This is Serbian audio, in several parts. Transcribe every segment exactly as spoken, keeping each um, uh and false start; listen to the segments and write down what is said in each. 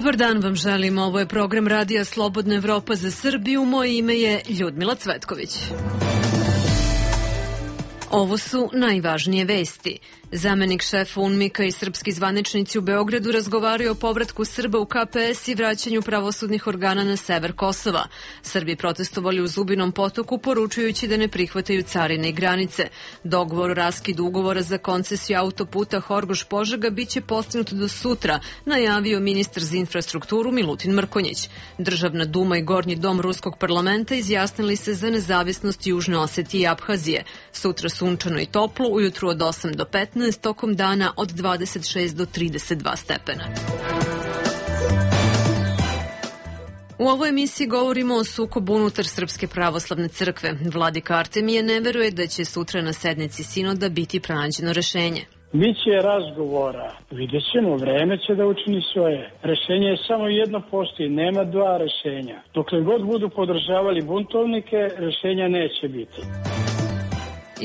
Dobar dan vam želim, ovo je program Radija Slobodna Evropa za Srbiju, moje ime je Ljudmila Cvetković. Ovo su najvažnije vesti. Zamenik šefa UNMIK-a i srpski zvaničnici u Beogradu razgovaraju o povratku Srba u K P S i vraćanju pravosudnih organa na sever Kosova. Srbi protestovali u Zubinom Potoku poručujući da ne prihvataju carine i granice. Dogovor o raskidu ugovora za koncesiju autoputa Horgoš-Požega biće postignut do sutra, najavio ministar za infrastrukturu Milutin Mrkonjić. Državna duma i Gornji dom Ruskog parlamenta izjasnili se za nezavisnost Južne Osetije i Abhazije. Sutra sunčano i toplo, ujutru od osam do petnaest, tokom dana od dvadeset šest do trideset dva stepena. U ovoj emisiji govorimo o sukobu unutar Srpske pravoslavne crkve. Vladika Artemije ne veruje da će sutra na sednici sinoda biti pronađeno rešenje. Biće razgovora, vidjet ćemo, vreme će da učini svoje. Rešenje je samo jedno, postoji, nema dva rešenja. Dokle god budu podržavali buntovnike, rešenja neće biti.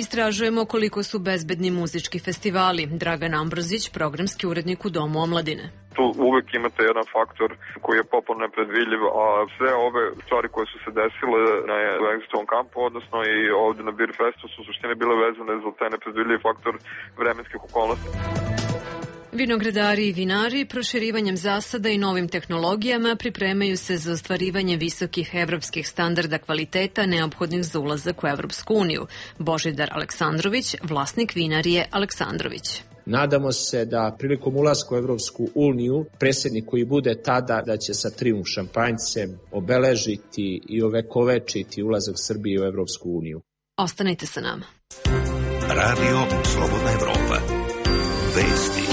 Istražujemo koliko su bezbedni muzički festivali. Dragan Ambrozić, programski urednik u Domu omladine. Tu uvek imate jedan faktor koji je popolno nepredvidljiv, a sve ove stvari koje su se desile na Exitovom kampu, odnosno i ovde na Beer Festu, su u suštini bile vezane za taj nepredvidljiv faktor vremenskih okolnosti. Vinogradari i vinari proširivanjem zasada i novim tehnologijama pripremaju se za ostvarivanje visokih evropskih standarda kvaliteta neophodnih za ulazak u Evropsku uniju. Božidar Aleksandrović, vlasnik vinarije Aleksandrović. Nadamo se da prilikom ulaska u Evropsku uniju predsjednik koji bude tada da će sa trijumf šampanjcem obeležiti i ovekovečiti ulazak Srbije u Evropsku uniju. Ostanite sa nama. Radio Slobodna Evropa. Vesti.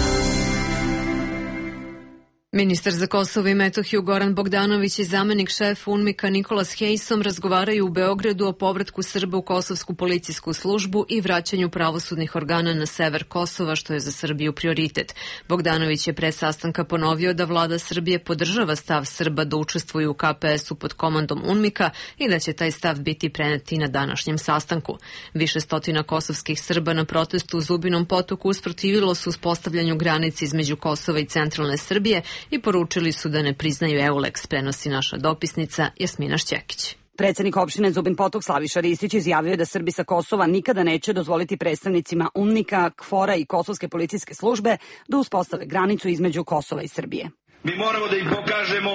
Ministar za Kosovo i Metohiju Goran Bogdanović i zamenik šef UNMIK-a Nikolas Hejsom razgovaraju u Beogradu o povratku Srba u Kosovsku policijsku službu i vraćanju pravosudnih organa na sever Kosova, što je za Srbiju prioritet. Bogdanović je pre sastanka ponovio da vlada Srbije podržava stav Srba da učestvuju u K P S-u pod komandom UNMIK-a i da će taj stav biti prenet i na današnjem sastanku. Više stotina kosovskih Srba na protestu u Zubinom Potoku usprotivilo su uspostavljanju granice između Kosova i centralne Srbije i poručili su da ne priznaju EULEX, prenosi naša dopisnica Jasmina Šćekić. Predsednik opštine Zubin Potok Slaviša Ristić izjavio je da Srbi sa Kosova nikada neće dozvoliti predstavnicima UNMIK-a, KFOR-a i Kosovske policijske službe da uspostave granicu između Kosova i Srbije. Mi moramo da im pokažemo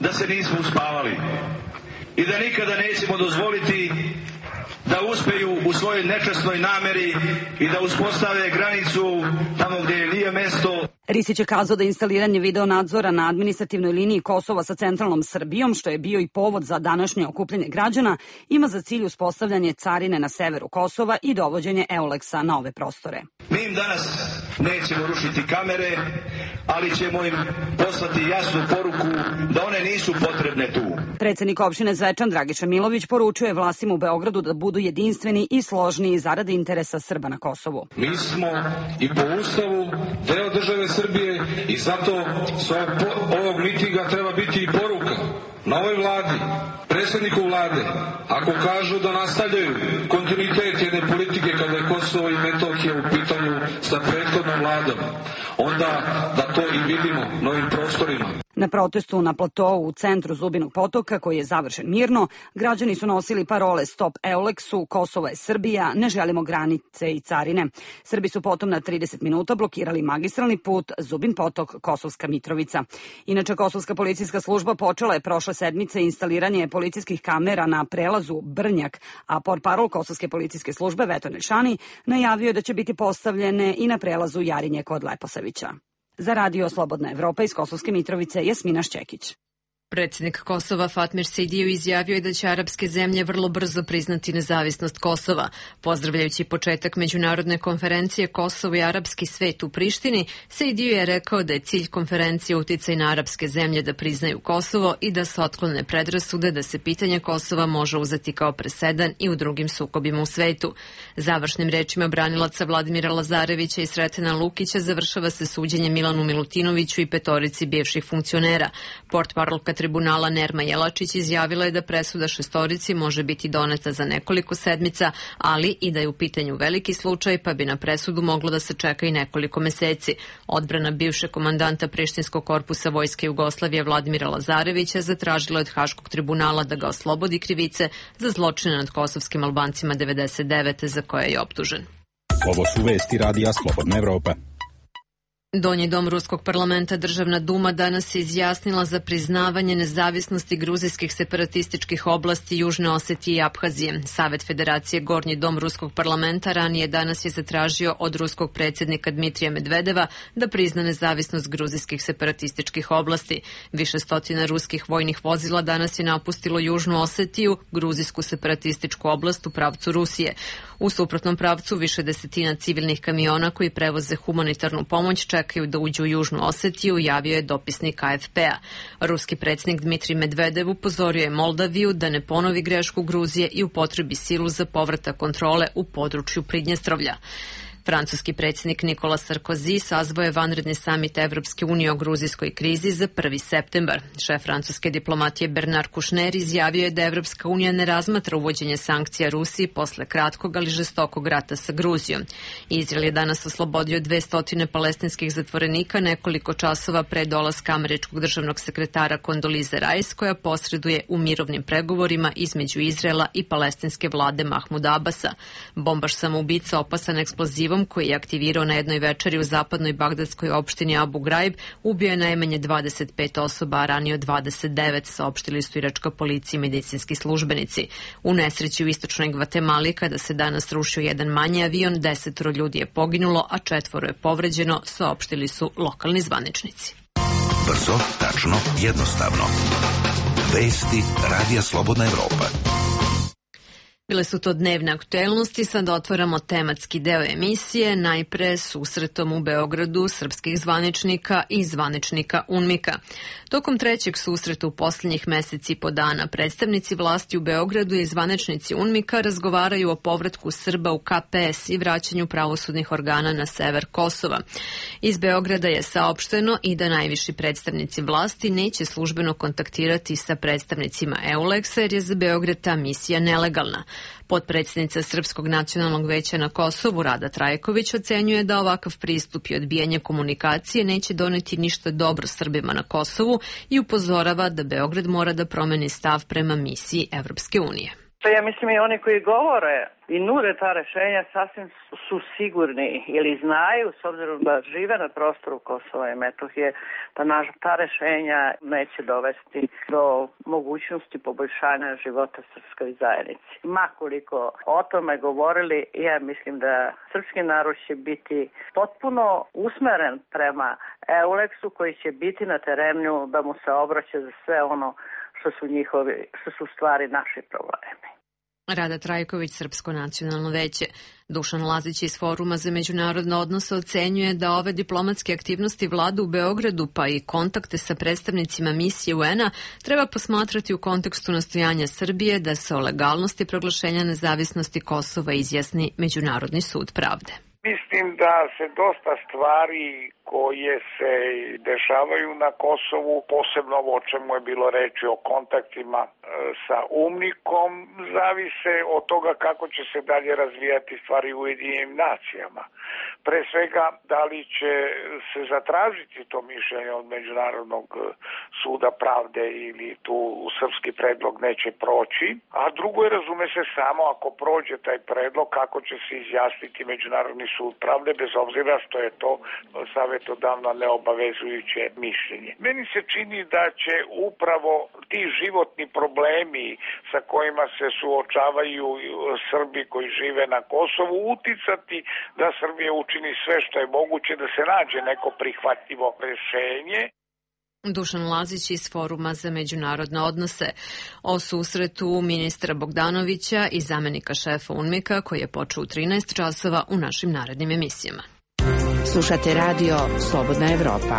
da se nismo uspavali i da nikada nećemo dozvoliti da uspeju u svojoj nečasnoj nameri i da uspostave granicu tamo gdje nije mesto. Ristić je kazao da instaliranje video nadzora na administrativnoj liniji Kosova sa centralnom Srbijom, što je bio i povod za današnje okupljanje građana, ima za cilj uspostavljanje carine na severu Kosova i dovođenje EULEX-a na ove prostore. Mi im danas nećemo rušiti kamere, ali ćemo im poslati jasnu poruku da one nisu potrebne tu. Predsednik opštine Zvečan Dragiša Milović poručuje vlastima u Beogradu da budu jedinstveni i složni zaradi interesa Srba na Kosovu. Mi smo i po Ustavu deo države Srbije i zato sa ovog mitinga treba biti i poruka novoj vladi, predsjedniku vlade, ako kažu da nastavljaju kontinuitet jedne politike kada je Kosovo i Metohija u pitanju sa prethodnom vladom, onda da to i vidimo na ovim prostorima. Na protestu na platovu u centru Zubinog Potoka, koji je završen mirno, građani su nosili parole Stop EULEX-u, Kosovo je Srbija, ne želimo granice i carine. Srbi su potom na trideset minuta blokirali magistralni put Zubin Potok, Kosovska Mitrovica. Inače, Kosovska policijska služba počela je prošle sedmice instaliranje policijskih kamera na prelazu Brnjak, a portparol Kosovske policijske službe Veto Nelšani najavio je da će biti postavljene i na prelazu Jarinje kod Leposavića. Za Radio Slobodna Evropa iz Kosovske Mitrovice, Jasmina Šćekić. Predsjednik Kosova Fatmir Sejdijev izjavio je da će arapske zemlje vrlo brzo priznati nezavisnost Kosova. Pozdravljajući početak međunarodne konferencije Kosovo i arapski svet u Prištini, Sejdijev je rekao da je cilj konferencije uticaj na arapske zemlje da priznaju Kosovo i da se otklone predrasude da se pitanje Kosova može uzeti kao presedan i u drugim sukobima u svetu. Završnim rečima branilaca Vladimira Lazarevića i Sretena Lukića završava se suđenje Milanu Milutinoviću i petorici bivših funkcionera. Portparolka tribunala Nerma Jelačić izjavila je da presuda šestorici može biti doneta za nekoliko sedmica, ali i da je u pitanju veliki slučaj, pa bi na presudu moglo da se čeka i nekoliko meseci. Odbrana bivšeg komandanta Prištinskog korpusa Vojske Jugoslavije Vladimira Lazarevića zatražila od Haškog tribunala da ga oslobodi krivice za zločine nad kosovskim Albancima devedeset devete za koje je optužen. Ovo su vesti Radija Slobodna Evropa. Donji dom Ruskog parlamenta Državna duma danas se izjasnila za priznavanje nezavisnosti gruzijskih separatističkih oblasti Južne Osetije i Aphazije. Savet Federacije Gornji dom Ruskog parlamenta ranije danas je zatražio od ruskog predsjednika Dmitrija Medvedeva da prizna nezavisnost gruzijskih separatističkih oblasti. Više stotina ruskih vojnih vozila danas je napustilo Južnu Osetiju, gruzijsku separatističku oblast u pravcu Rusije. U suprotnom pravcu više desetina civilnih kamiona koji prevoze humanitarnu pomoć čekaju da uđu u Južnu Osetiju, javio je dopisnik A F P-a. Ruski predsjednik Dmitrij Medvedev upozorio je Moldaviju da ne ponovi grešku Gruzije i upotrebi silu za povratak kontrole u području Pridnjestrovlja. Francuski predsjednik Nikola Sarkozy sazvao je vanredni samit Evropske unije o gruzijskoj krizi za prvi septembar. Šef francuske diplomatije Bernard Kouchner izjavio je da Evropska unija ne razmatra uvođenje sankcija Rusiji posle kratkog, ali žestokog rata sa Gruzijom. Izrael je danas oslobodio dvesta palestinskih zatvorenika nekoliko časova pre dolaska američkog državnog sekretara Kondolize Rice, koja posreduje u mirovnim pregovorima između Izraela i palestinske vlade Mahmuda Abasa. Bombaš samoubica opasan eksplozivom koji je aktivirao na jednoj večeri u zapadnoj bagdadskoj opštini Abu Ghraib, ubio je najmanje dvadeset pet osoba, a ranio dvadeset devet, saopštili su iračka policija i medicinski službenici. U nesreći u istočnoj Gvatemali, kada se danas rušio jedan manji avion, desetoro ljudi je poginulo, a četvoro je povređeno, saopštili su lokalni zvaničnici. Brzo, tačno, jednostavno. Vesti Radija Slobodna Evropa. Bile su to dnevne aktuelnosti, sada otvaramo tematski deo emisije, najpre susretom u Beogradu srpskih zvaničnika i zvaničnika UNMIK-a. Tokom trećeg susreta u posljednjih meseci i po dana predstavnici vlasti u Beogradu i zvaničnici UNMIK-a razgovaraju o povratku Srba u K P S i vraćanju pravosudnih organa na sever Kosova. Iz Beograda je saopšteno i da najviši predstavnici vlasti neće službeno kontaktirati sa predstavnicima EULEX-a jer je za Beograd ta misija nelegalna. Potpredsjednica Srpskog nacionalnog veća na Kosovu Rada Trajković ocenjuje da ovakav pristup i odbijanje komunikacije neće doneti ništa dobro Srbima na Kosovu i upozorava da Beograd mora da promeni stav prema misiji Evropske unije. Ja mislim i oni koji govore i nude ta rešenja sasvim su sigurni ili znaju, s obzirom da žive na prostoru Kosova i Metohije, da naš, ta rešenja neće dovesti do mogućnosti poboljšanja života srpskoj zajednici. Makoliko o tome govorili, ja mislim da srpski narod će biti potpuno usmeren prema EULEX-u koji će biti na terenu da mu se obraća za sve ono što su njihovi, što su stvari naši problemi. Rada Trajković, Srpsko nacionalno veće. Dušan Lazić iz Foruma za međunarodne odnose ocenjuje da ove diplomatske aktivnosti vlade u Beogradu pa i kontakte sa predstavnicima misije U N-a treba posmatrati u kontekstu nastojanja Srbije da se o legalnosti proglašenja nezavisnosti Kosova izjasni Međunarodni sud pravde. Mislim da se dosta stvari koje se dešavaju na Kosovu, posebno ovo o čemu je bilo reči o kontaktima sa UNMIK-om, zavise od toga kako će se dalje razvijati stvari u Ujedinjenim nacijama. Pre svega, da li će se zatražiti to mišljenje od Međunarodnog suda pravde ili tu srpski predlog neće proći, a drugo je, razume se, samo ako prođe taj predlog, kako će se izjasniti Međunarodni sud pravde, bez obzira što je to savjetodavno neobavezujuće mišljenje. Meni se čini da će upravo ti životni problemi sa kojima se suočavaju Srbi koji žive na Kosovu uticati da Srbija učini sve što je moguće da se nađe neko prihvatljivo rešenje. Dušan Lazić iz Foruma za međunarodne odnose o susretu ministra Bogdanovića i zamenika šefa UNMIK-a koji je počeo u trinaest časova u našim narednim emisijama. Slušate radio Slobodna Evropa.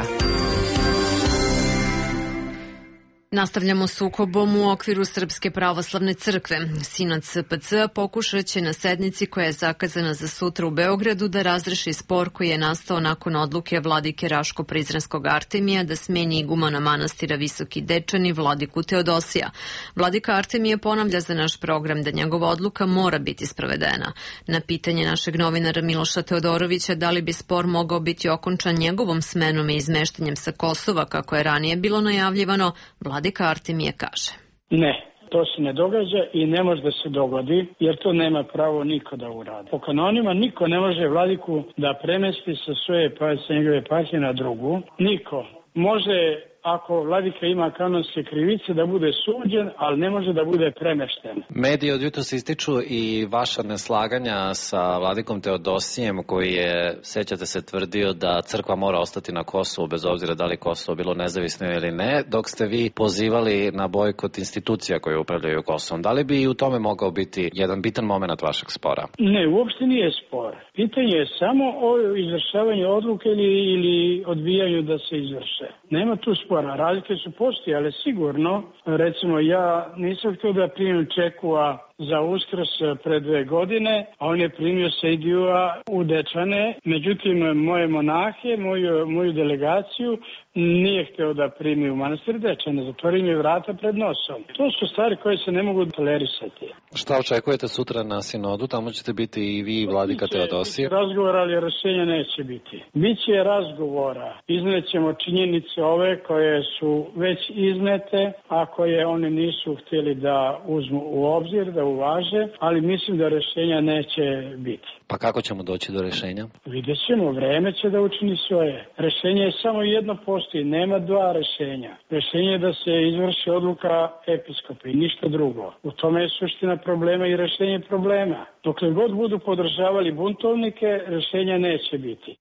Nastavljamo sukobom u okviru Srpske pravoslavne crkve. Sinod S P C pokušat će na sednici koja je zakazana za sutra u Beogradu da razreši spor koji je nastao nakon odluke vladike Raško-Prizrenskog Artemija da smeni igumana manastira Visoki Dečani vladiku Teodosija. Vladika Artemije ponavlja za naš program da njegova odluka mora biti sprovedena. Na pitanje našeg novinara Miloša Teodorovića da li bi spor mogao biti okončan njegovom smenom i izmeštanjem sa Kosova kako je ranije bilo najavljivano, Vladika Artemije kaže. Ne, to se ne događa i ne može da se dogodi, jer to nema pravo niko da uradi. Po kanonima niko ne može vladiku da premesti sa svoje pa sa njegove eparhije na drugu. Niko. Može, ako vladika ima kanonske krivice, da bude suđen, ali ne može da bude premešten. Mediji od jutros ističu i vaša neslaganja sa vladikom Teodosijem, koji je, sećate se, tvrdio da crkva mora ostati na Kosovu, bez obzira da li Kosovo bilo nezavisno ili ne, dok ste vi pozivali na bojkot institucija koje upravljaju Kosovom. Da li bi i u tome mogao biti jedan bitan moment vašeg spora? Ne, uopšte nije spor. Pitanje je samo o izvršavanju odluke ili, ili odbijanju da se izvrše. Nema tu spora. Razlike su postojale sigurno. Recimo, ja nisam htio da primim Čekua za Uskrs pre dve godine, a on je primio Sejdijua u Dečane. Međutim, moje monahe, moju, moju delegaciju nije htio da primi u manastir Dečane. Zatvorio mi vrata pred nosom. To su stvari koje se ne mogu tolerisati. Šta očekujete sutra na sinodu? Tamo ćete biti i vi i vladika Teodosije? Biće razgovora, ali rešenja neće biti. Biće razgovora. Iznećemo činjenice ove koje su već iznete, a koje oni nisu htjeli da uzmu u obzir, da uvaže, ali mislim da rešenja neće biti. Pa kako ćemo doći do rešenja? Vidjet ćemo, vreme će da učini svoje. Rešenje je samo jedno postoji, nema dva rešenja. Rešenje je da se izvrši odluka episkopa i ništa drugo. U tome je suština problema i rešenje problema. Dokle god budu podržavali buntovnike, rešenja neće biti.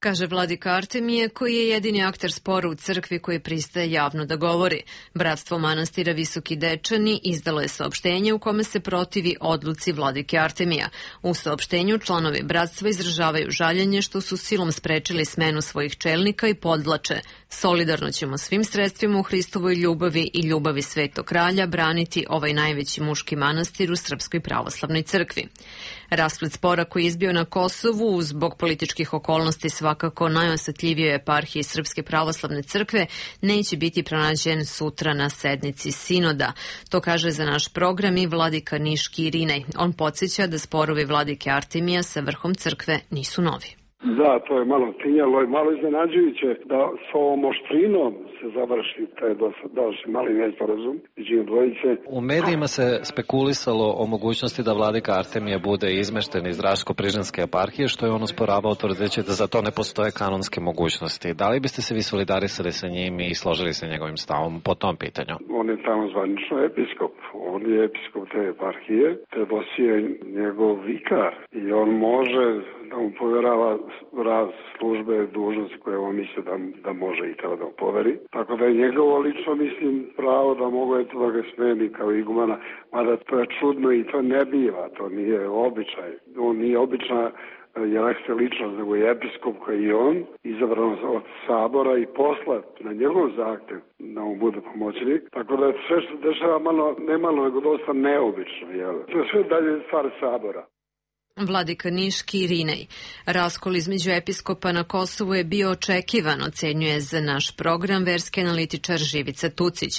Kaže vladika Artemije, koji je jedini akter spora u crkvi koji pristaje javno da govori. Bratstvo manastira Visoki Dečani izdalo je saopštenje u kome se protivi odluci vladike Artemija. U saopštenju članovi bratstva izražavaju žaljenje što su silom sprečili smenu svojih čelnika i podvlače. Solidarno ćemo svim sredstvima u Hristovoj ljubavi i ljubavi Svetog kralja braniti ovaj najveći muški manastir u Srpskoj pravoslavnoj crkvi. Rasplet spora koji je izbio na Kosovu zbog političkih okolnosti svakako najosetljivije eparhije Srpske pravoslavne crkve neće biti pronađen sutra na sednici sinoda. To kaže za naš program i vladika Niški Irinej. On podsjeća da sporovi vladike Artemija sa vrhom crkve nisu novi. Da, to je malo tinjalo i malo iznenađujuće da s ovom oštrinom se završi taj došli mali nesporazum između dvojice. U medijima se spekulisalo o mogućnosti da vladika Artemija bude izmešten iz Raško-Prižanske eparhije, što je on osporavao tvrdeći da za to ne postoje kanonske mogućnosti. Da li biste se vi solidarisali sa njim i složili se njegovim stavom po tom pitanju? On je tamo zvanično episkop. On je episkop te eparhije. Teodosije je njegov vikar i on može da mu povjerava raz službe, dužnosti koje on misle da, da može i treba da mu poveri. Tako da je njegovo lično, mislim, pravo da mogu eto da ga smeni kao igumana, mada to je čudno i to ne biva, to nije običaj. On nije obična jerekse ličnost, nego je episkop koji je on, izabran od sabora i poslat na njegov zahtev da mu bude pomoćnik. Tako da je sve što se dešava malo, ne malo, nego dosta neobično. Jel? To je sve dalje stvar sabora. Vladika Niški Irinej. Raskol između episkopa na Kosovu je bio očekivan, ocenjuje za naš program verski analitičar Živica Tucić.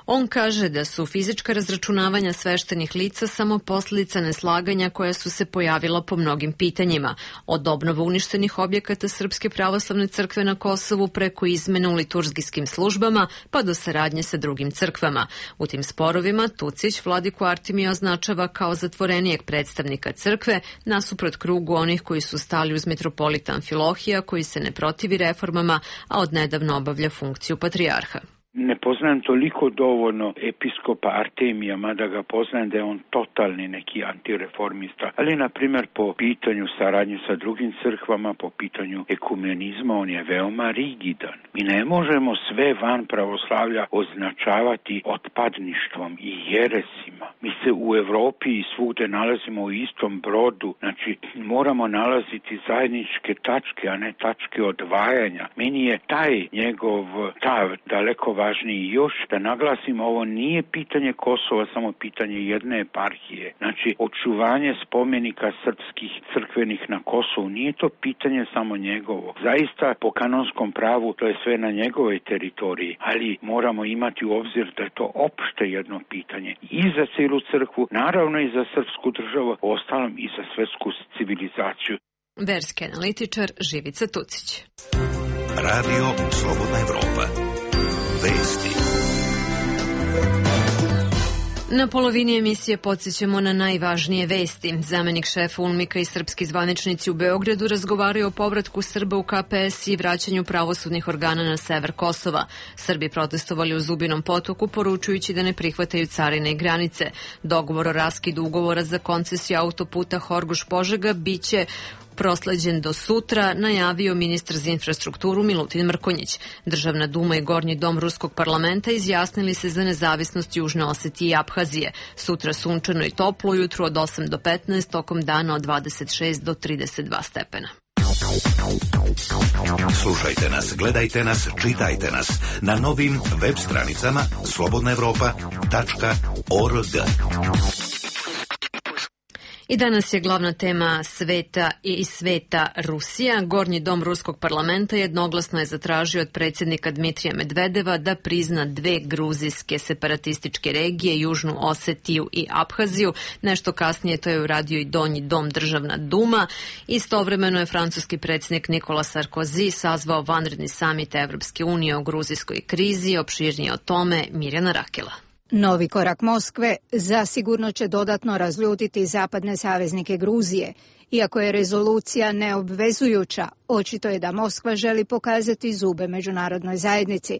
On kaže da su fizička razračunavanja sveštenih lica samo posljedica neslaganja koja su se pojavila po mnogim pitanjima, od obnova uništenih objekata Srpske pravoslavne crkve na Kosovu preko izmena u liturgijskim službama pa do saradnje sa drugim crkvama. U tim sporovima Tucić vladiku Artemija označava kao zatvorenijeg predstavnika crkve nasuprot krugu onih koji su stali uz metropolita Amfilohija koji se ne protivi reformama, a odnedavno obavlja funkciju patrijarha. Ne poznajem toliko dovoljno episkopa Artemija, mada ga poznajem da je on totalni neki antireformista, ali na primjer po pitanju saradnje sa drugim crkvama, po pitanju ekumenizma, on je veoma rigidan. Mi ne možemo sve van pravoslavlja označavati otpadništvom i jeresima. Mi se u Evropi i svugde nalazimo u istom brodu, znači moramo nalaziti zajedničke tačke, a ne tačke odvajanja. Meni je taj njegov stav daleko važniji još da naglasimo, ovo nije pitanje Kosova, samo pitanje jedne eparhije. Znači, očuvanje spomenika srpskih crkvenih na Kosovu nije to pitanje samo njegovo. Zaista, po kanonskom pravu, to je sve na njegovoj teritoriji, ali moramo imati u obzir da je to opšte jedno pitanje i za cijelu crkvu, naravno i za srpsku državu, ostalom i za svetsku civilizaciju. Verski analitičar Živica Tucić. Radio Slobodna Evropa. Vesti. Na polovini emisije podsjećamo na najvažnije vesti. Zamenik šefa UNMIK-a i srpski zvaničnici u Beogradu razgovaraju o povratku Srba u K P S i vraćanju pravosudnih organa na sever Kosova. Srbi protestovali u Zubinom Potoku, poručujući da ne prihvataju carine i granice. Dogovor o raskidu ugovora za koncesiju autoputa Horgoš-Požega biće prosleđen do sutra, najavio ministar za infrastrukturu Milutin Mrkonjić. Državna duma i Gornji dom Ruskog parlamenta izjasnili se za nezavisnost Južne Osetije i Aphazije. Sutra sunčano i toplo, ujutru od osam do petnaest, tokom dana od dvadeset šest do trideset dva stepena. Slušajte nas, gledajte nas, čitajte nas na novim web stranicama slobodna evropa tačka org. I danas je glavna tema sveta i sveta Rusija. Gornji dom Ruskog parlamenta jednoglasno je zatražio od predsjednika Dmitrija Medvedeva da prizna dve gruzijske separatističke regije, Južnu Osetiju i Aphaziju. Nešto kasnije to je uradio i Donji dom Državna duma. Istovremeno je francuski predsjednik Nikola Sarkozy sazvao vanredni samit Evropske unije o gruzijskoj krizi. Opširnije o tome Mirjana Rakela. Novi korak Moskve zasigurno će dodatno razljutiti zapadne saveznike Gruzije. Iako je rezolucija neobvezujuća, očito je da Moskva želi pokazati zube međunarodnoj zajednici.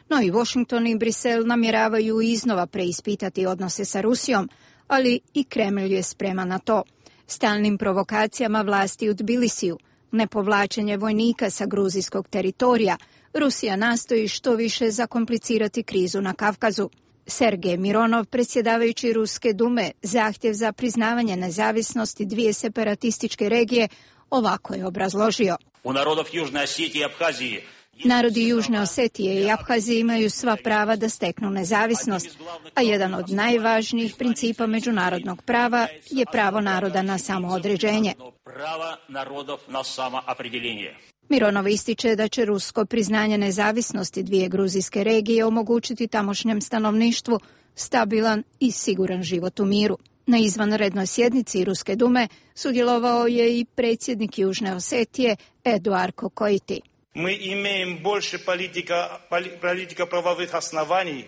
No i Washington i Brisel namjeravaju iznova preispitati odnose sa Rusijom, ali i Kremlj je spreman na to. Stalnim provokacijama vlasti u Tbilisiju, nepovlačenje vojnika sa gruzijskog teritorija, Rusija nastoji što više zakomplicirati krizu na Kavkazu. Sergej Mironov, predsjedavajući Ruske dume, zahtjev za priznavanje nezavisnosti dvije separatističke regije, ovako je obrazložio. U narodov Južne Osetije i Aphazije Narodi Južne Osetije i Aphazije imaju sva prava da steknu nezavisnost, a jedan od najvažnijih principa međunarodnog prava je pravo naroda na samoodređenje. Prava narodov na samoopredeljenje. Mironov ističe da će rusko priznanje nezavisnosti dvije gruzijske regije omogućiti tamošnjem stanovništvu stabilan i siguran život u miru. Na izvanrednoj sjednici Ruske dume sudjelovao je i predsjednik Južne Osetije Eduard Kokoiti. Mi imamo više politika, politika pravovih osnovanij,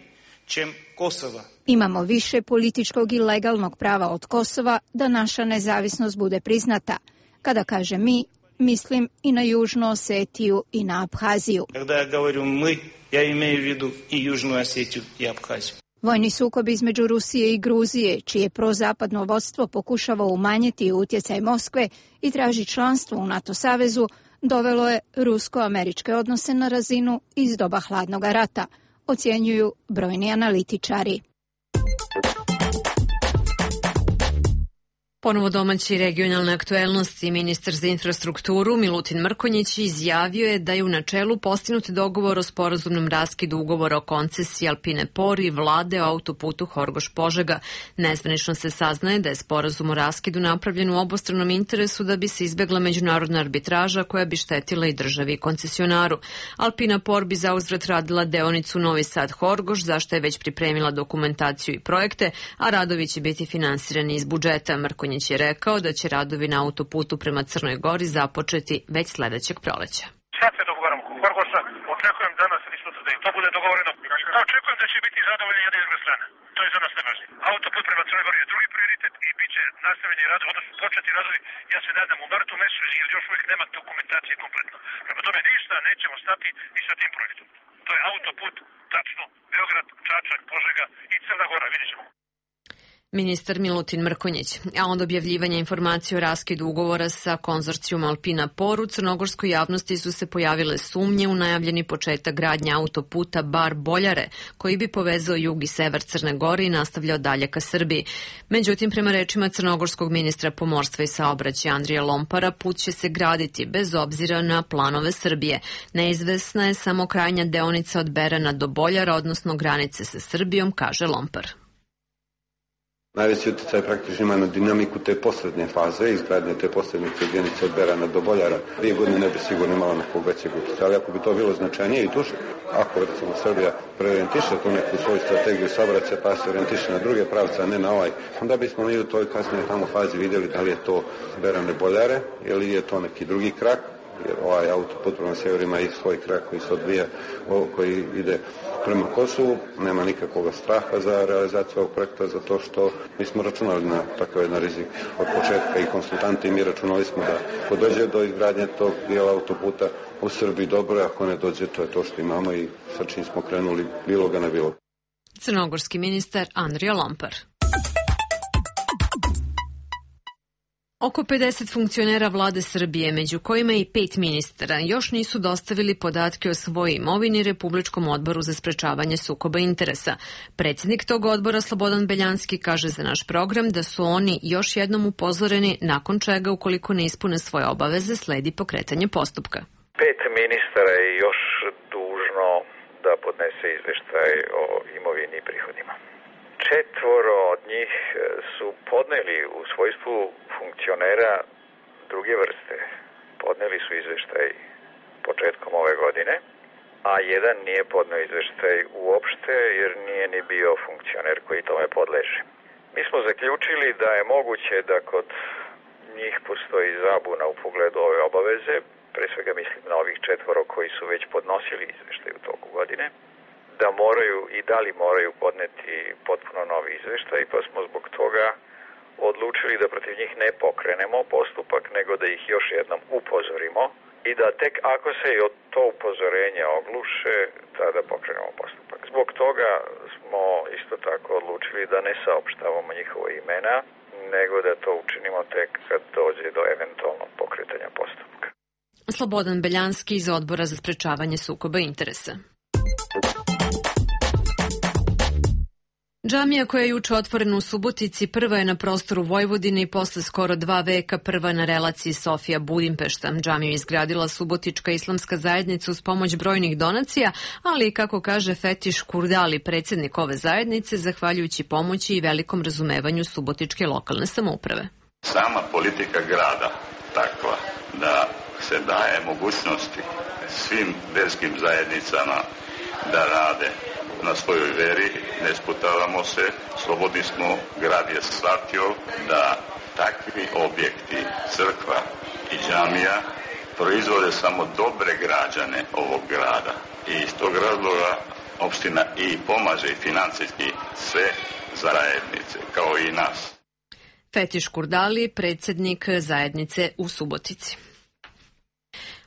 čem Kosova. Imamo više političkog i legalnog prava od Kosova da naša nezavisnost bude priznata. Kada kaže mi, mislim i na Južnu Osetiju i na Aphaziju. Kada ja govorim mi, ja imaju u vidu i Južnu Osetiju i Aphaziju. Vojni sukob između Rusije i Gruzije, čije prozapadno vodstvo pokušava umanjiti utjecaj Moskve i traži članstvo u NATO savezu, dovelo je rusko-američke odnose na razinu iz doba hladnog rata, ocjenjuju brojni analitičari. Ponovo domaći regionalne aktuelnosti. Ministar za infrastrukturu Milutin Mrkonjić izjavio je da je u načelu postignut dogovor o sporazumnom raskidu ugovora o koncesiji Alpine Por i vlade o autoputu Horgoš-Požega. Nezvanično se saznaje da je sporazum o raskidu napravljen u obostranom interesu da bi se izbegla međunarodna arbitraža koja bi štetila i državi i koncesionaru. Alpina Por bi zauzvrat radila deonicu Novi Sad-Horgoš, zašto je već pripremila dokumentaciju i projekte, a radovi će biti finansirani iz budžeta. Mrkonjić je rekao da će radovi na autoputu prema Crnoj Gori započeti već sledećeg proleća. Sad se dogovaramo kod Horgoša, očekujem danas ili sutra da i to bude dogovoreno. A očekujem da će biti zadovoljni jedna i druga strana. To je za nas najvažnije. Autoput prema Crnoj Gori je drugi prioritet i bit će nastavljeni radovi, odnosno početi radovi, ja se nadam u martu mesecu, jer još uvijek nema dokumentacije kompletno. Prema tome ništa nećemo stati i sa tim projektom. To je autoput, tačno, Beograd, Čačak, Požega i Crna Gora, vidjet ćemo. Ministar Milutin Mrkonjić. A od objavljivanja informacije o raskidu ugovora sa konzorcijum Alpina Por u crnogorskoj javnosti su se pojavile sumnje u najavljeni početak gradnje autoputa Bar-Boljare, koji bi povezao jug i sever Crne Gore i nastavljao dalje ka Srbiji. Međutim, prema rečima crnogorskog ministra pomorstva i saobraćaja Andrija Lompara, put će se graditi bez obzira na planove Srbije. Neizvesna je samo krajnja deonica od Berana do Boljara, odnosno granice sa Srbijom, kaže Lompar. Najveći utjecaj praktično ima na dinamiku te poslednje faze, izgradnje te poslednje jedinice od Berana do Boljara. Dvije godine ne bi sigurno imala nekog većeg utjecaja, ali ako bi to bilo značajnije i duže, ako recimo Srbija preorijentiše tu neku svoju strategiju saobraćaja pa se orijentiše na druge pravce, a ne na ovaj, onda bismo mi u toj kasnije tamo fazi vidjeli da li je to Berane Boljare ili je to neki drugi krak, jer ovaj autoput prema severu ima i svoj krak koji se odvija, koji ide prema Kosovu. Nema nikakvog straha za realizaciju ovog projekta, zato što mi smo računali na takav jedan rizik od početka i konsultanti i mi računali smo da ako dođe do izgradnje tog dijela autoputa u Srbiji dobro, ako ne dođe, to je to što imamo i sa čim smo krenuli, bilo ga ne bilo. Crnogorski ministar Andrija Lompar. Oko pedeset funkcionera vlade Srbije, među kojima i pet ministara, još nisu dostavili podatke o svojoj imovini Republičkom odboru za sprečavanje sukoba interesa. Predsjednik tog odbora, Slobodan Beljanski, kaže za naš program da su oni još jednom upozoreni, nakon čega, ukoliko ne ispune svoje obaveze, sledi pokretanje postupka. Pet ministara je još dužno da podnese izveštaj o imovini i prihodima. Četvoro od njih su podneli u svojstvu funkcionera druge vrste. Podneli su izveštaj početkom ove godine, a jedan nije podneo izveštaj uopšte jer nije ni bio funkcioner koji tome podleže. Mi smo zaključili da je moguće da kod njih postoji zabuna u pogledu ove obaveze, pre svega mislim na ovih četvoro koji su već podnosili izveštaj u toku godine, da moraju i da li moraju podneti potpuno novi izveštaj, pa smo zbog toga odlučili da protiv njih ne pokrenemo postupak, nego da ih još jednom upozorimo i da tek ako se i od to upozorenje ogluše, tada pokrenemo postupak. Zbog toga smo isto tako odlučili da ne saopštavamo njihova imena, nego da to učinimo tek kad dođe do eventualnog pokretanja postupka. Slobodan Beljanski iz Odbora za sprečavanje sukoba interesa. Džamija koja je juče otvorena u Subotici prva je na prostoru Vojvodine i posle skoro dva veka prva na relaciji Sofija-Budimpešta. Džamiju je izgradila Subotička islamska zajednica uz pomoć brojnih donacija, ali i kako kaže Fetiš Kurdali, predsjednik ove zajednice, zahvaljujući pomoći i velikom razumevanju Subotičke lokalne samouprave. Sama politika grada takva da se daje mogućnosti svim verskim zajednicama da rade na svojoj veri, ne sputavamo se, slobodni smo, grad je shvatio da takvi objekti, crkva i džamija proizvode samo dobre građane ovog grada i iz tog razloga opština i pomaže i financijski sve zajednice, kao i nas. Fetiš Kurdali, predsjednik zajednice u Subotici.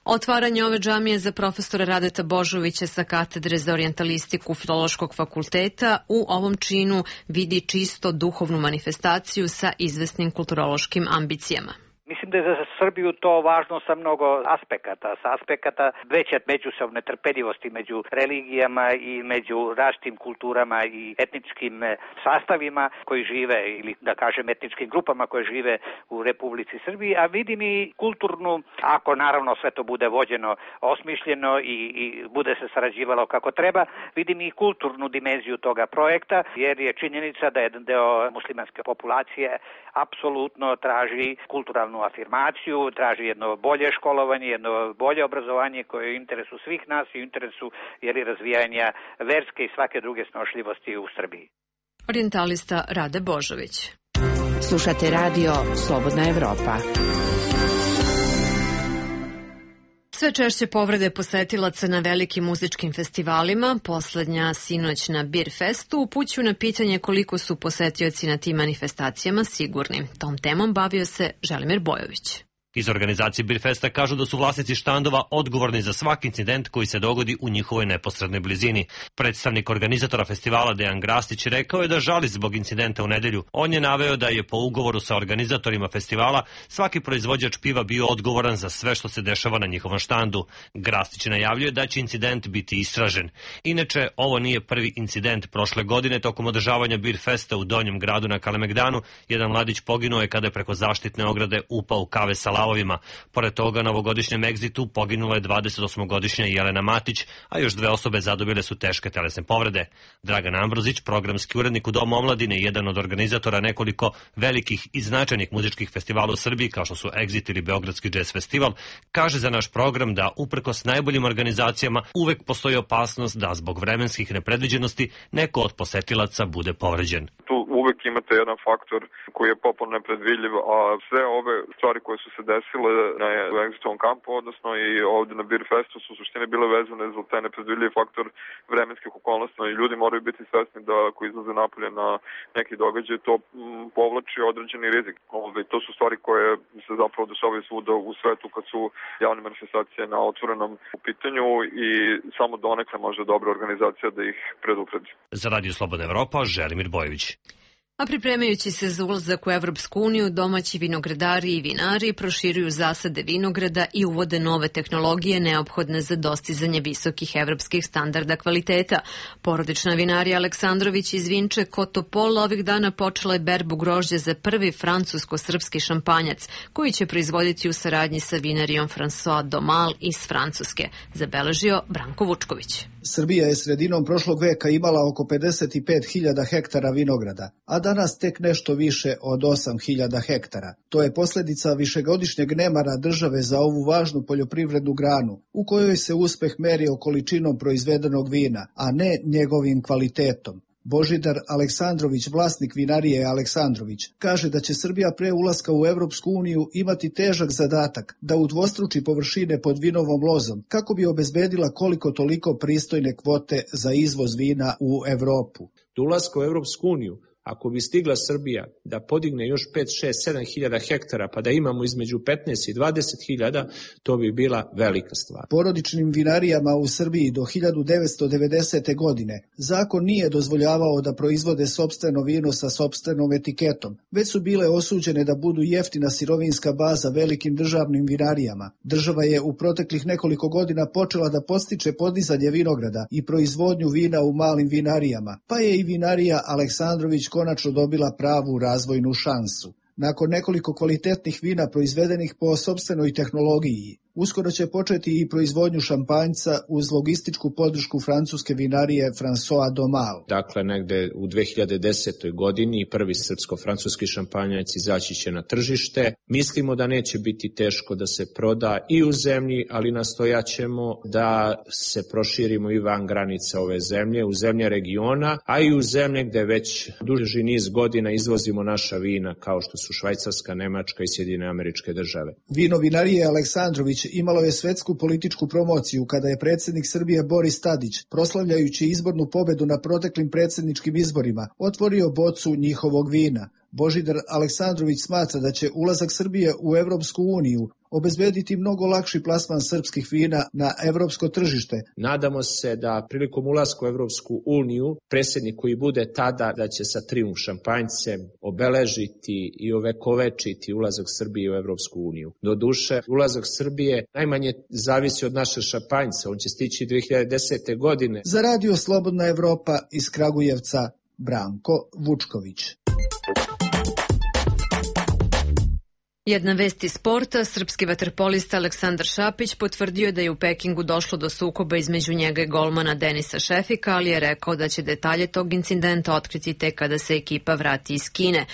Otvaranje ove džamije za profesora Radeta Božovića sa katedre za orijentalistiku Filološkog fakulteta u ovom činu vidi čisto duhovnu manifestaciju sa izvesnim kulturološkim ambicijama. Mislim da je za Srbiju to važno sa mnogo aspekata, sa aspekata veće međusobne trpeljivosti među religijama i među različitim kulturama i etničkim sastavima koji žive, ili da kažem etničkim grupama koje žive u Republici Srbiji, a vidim i kulturnu, ako naravno sve to bude vođeno, osmišljeno i, i bude se sarađivalo kako treba, vidim i kulturnu dimenziju toga projekta, jer je činjenica da jedan deo muslimanske populacije apsolutno traži kulturalnu afirmaciju, traži jedno bolje školovanje, jedno bolje obrazovanje koje je u interesu svih nas i u interesu jer razvijanja verske i svake druge snošljivosti u Srbiji. Orijentalista Rade Božović. Slušate radio Slobodna Evropa. Sve češće povrede posetilaca na velikim muzičkim festivalima, poslednja sinoć na Beer Festu, upućuju na pitanje koliko su posetioci na tim manifestacijama sigurni. Tom temom bavio se Želimir Bojović. Iz organizacije Birfesta kažu da su vlasnici štandova odgovorni za svaki incident koji se dogodi u njihovoj neposrednoj blizini. Predstavnik organizatora festivala Dejan Grastić rekao je da žali zbog incidenta u nedelju. On je naveo da je po ugovoru sa organizatorima festivala svaki proizvođač piva bio odgovoran za sve što se dešava na njihovom štandu. Grastić najavljuje da će incident biti istražen. Inače, ovo nije prvi incident. Prošle godine tokom održavanja Birfesta u Donjem gradu na Kalemegdanu jedan mladić poginuo je kada je preko zaštitne ograde upao u kave sa lavovima. Pored toga, na ovogodišnjem egzitu poginula je dvadesetosmogodišnja Jelena Matić, a još dve osobe zadobile su teške telesne povrede. Dragan Ambrozić, programski urednik u Domu omladine i jedan od organizatora nekoliko velikih i značajnih muzičkih festivala u Srbiji, kao što su Exit ili Beogradski jazz festival, kaže za naš program da uprkos najboljim organizacijama uvek postoji opasnost da zbog vremenskih nepredviđenosti neko od posetilaca bude povređen. Tu uvek imate jedan faktor koji je popolno nepredvidljiv, a sve ove stvari koje su se desile na Exitovom kampu, odnosno i ovde na Birfestu, su u suštini bile vezane za taj nepredvidljiv faktor vremenskih okolnosti i ljudi moraju biti svesni da ako izlaze napolje na neki događaj, to povlači određeni rizik. Ove, to su stvari koje se zapravo dešavaju svuda u svetu kad su javne manifestacije na otvorenom u pitanju i samo donekle može dobra organizacija da ih predupredi. Za Radio Slobodna Evropa, Želimir Bojević. A pripremajući se za ulazak u Evropsku uniju, domaći vinogradari i vinari proširuju zasade vinograda i uvode nove tehnologije neophodne za dostizanje visokih evropskih standarda kvaliteta. Porodična vinarija Aleksandrović iz Vinče kod Topola ovih dana počela je berbu grožđa za prvi francusko-srpski šampanjac, koji će proizvoditi u saradnji sa vinarijom François Domal iz Francuske, zabeležio Branko Vučković. Srbija je sredinom prošlog veka imala oko pedeset pet hiljada hektara vinograda, a danas tek nešto više od osam hiljada hektara. To je posljedica višegodišnjeg nemara države za ovu važnu poljoprivrednu granu, u kojoj se uspeh merio količinom proizvedenog vina, a ne njegovim kvalitetom. Božidar Aleksandrović, vlasnik vinarije Aleksandrović, kaže da će Srbija pre ulaska u Evropsku uniju imati težak zadatak da udvostruči površine pod vinovom lozom kako bi obezbedila koliko toliko pristojne kvote za izvoz vina u Evropu. Do ulaska u Evropsku uniju, ako bi stigla Srbija da podigne još pet, šest, sedam hiljada hektara pa da imamo između petnaest i dvadeset hiljada, to bi bila velika stvar. Porodičnim vinarijama u Srbiji do hiljadu devetsto devedesete. godine zakon nije dozvoljavao da proizvode sopstveno vino sa sopstvenom etiketom, već su bile osuđene da budu jeftina sirovinska baza velikim državnim vinarijama. Država je u proteklih nekoliko godina počela da podstiče podizanje vinograda i proizvodnju vina u malim vinarijama, pa je i vinarija Aleksandrović konačno dobila pravu razvojnu šansu. Nakon nekoliko kvalitetnih vina proizvedenih po sopstvenoj tehnologiji, uskoro će početi i proizvodnju šampanjca uz logističku podršku francuske vinarije François Domal. Dakle, negde u dve hiljade desetoj. godini prvi srpsko-francuski šampanjac izaći će na tržište. Mislimo da neće biti teško da se proda i u zemlji, ali nastojaćemo da se proširimo i van granica ove zemlje, u zemlje regiona, a i u zemlje gde već duži niz godina izvozimo naša vina, kao što su Švajcarska, Nemačka i Sjedinjene Američke Države. Vino vinarije Aleksandrović imalo je svetsku političku promociju kada je predsjednik Srbije Boris Tadić, proslavljajući izbornu pobedu na proteklim predsjedničkim izborima, otvorio bocu njihovog vina. Božidar Aleksandrović smatra da će ulazak Srbije u Evropsku uniju obezbediti mnogo lakši plasman srpskih vina na evropsko tržište. Nadamo se da prilikom ulaska u Evropsku uniju predsjednik koji bude tada da će sa trijumf šampanjcem obeležiti i ovekovečiti ulazak Srbije u Evropsku uniju. Doduše, ulazak Srbije najmanje zavisi od naše šampanjca. On će stići dve hiljade desete. godine. Za Radio Slobodna Evropa iz Kragujevca, Branko Vučković. Jedna vest iz sporta, srpski vaterpolista Aleksandar Šapić potvrdio da je u Pekingu došlo do sukoba između njega i golmana Denisa Šefika, ali je rekao da će detalje tog incidenta otkriti tek kada se ekipa vrati iz Kine.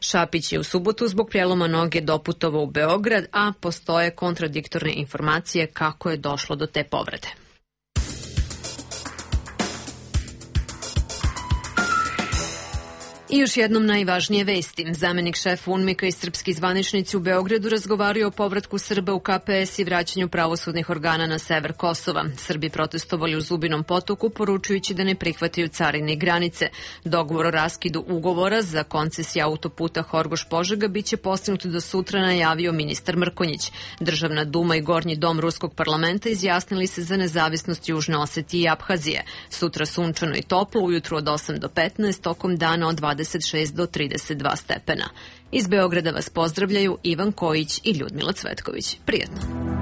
Šapić je u subotu zbog prijeloma noge doputovao u Beograd, a postoje kontradiktorne informacije kako je došlo do te povrede. I još jednom najvažnije vesti. Zamenik šefa UNMIK-a i srpski zvaničnici u Beogradu razgovaraju o povratku Srba u K P S i vraćanju pravosudnih organa na sever Kosova. Srbi protestovali u Zubinom Potoku, poručujući da ne prihvataju carine i granice. Dogovor o raskidu ugovora za koncesiju autoputa Horgoš-Požega biće postignut do sutra, najavio ministar Mrkonjić. Državna duma i Gornji dom Ruskog parlamenta izjasnili se za nezavisnost Južne Osetije i Abhazije. Sutra sunčano i toplo, ujutru od osam do petnaest, tokom dana od dvadeset šest do trideset dva stepena. Iz Beograda vas pozdravljaju Ivan Kojić i Ljudmila Cvetković. Prijetno!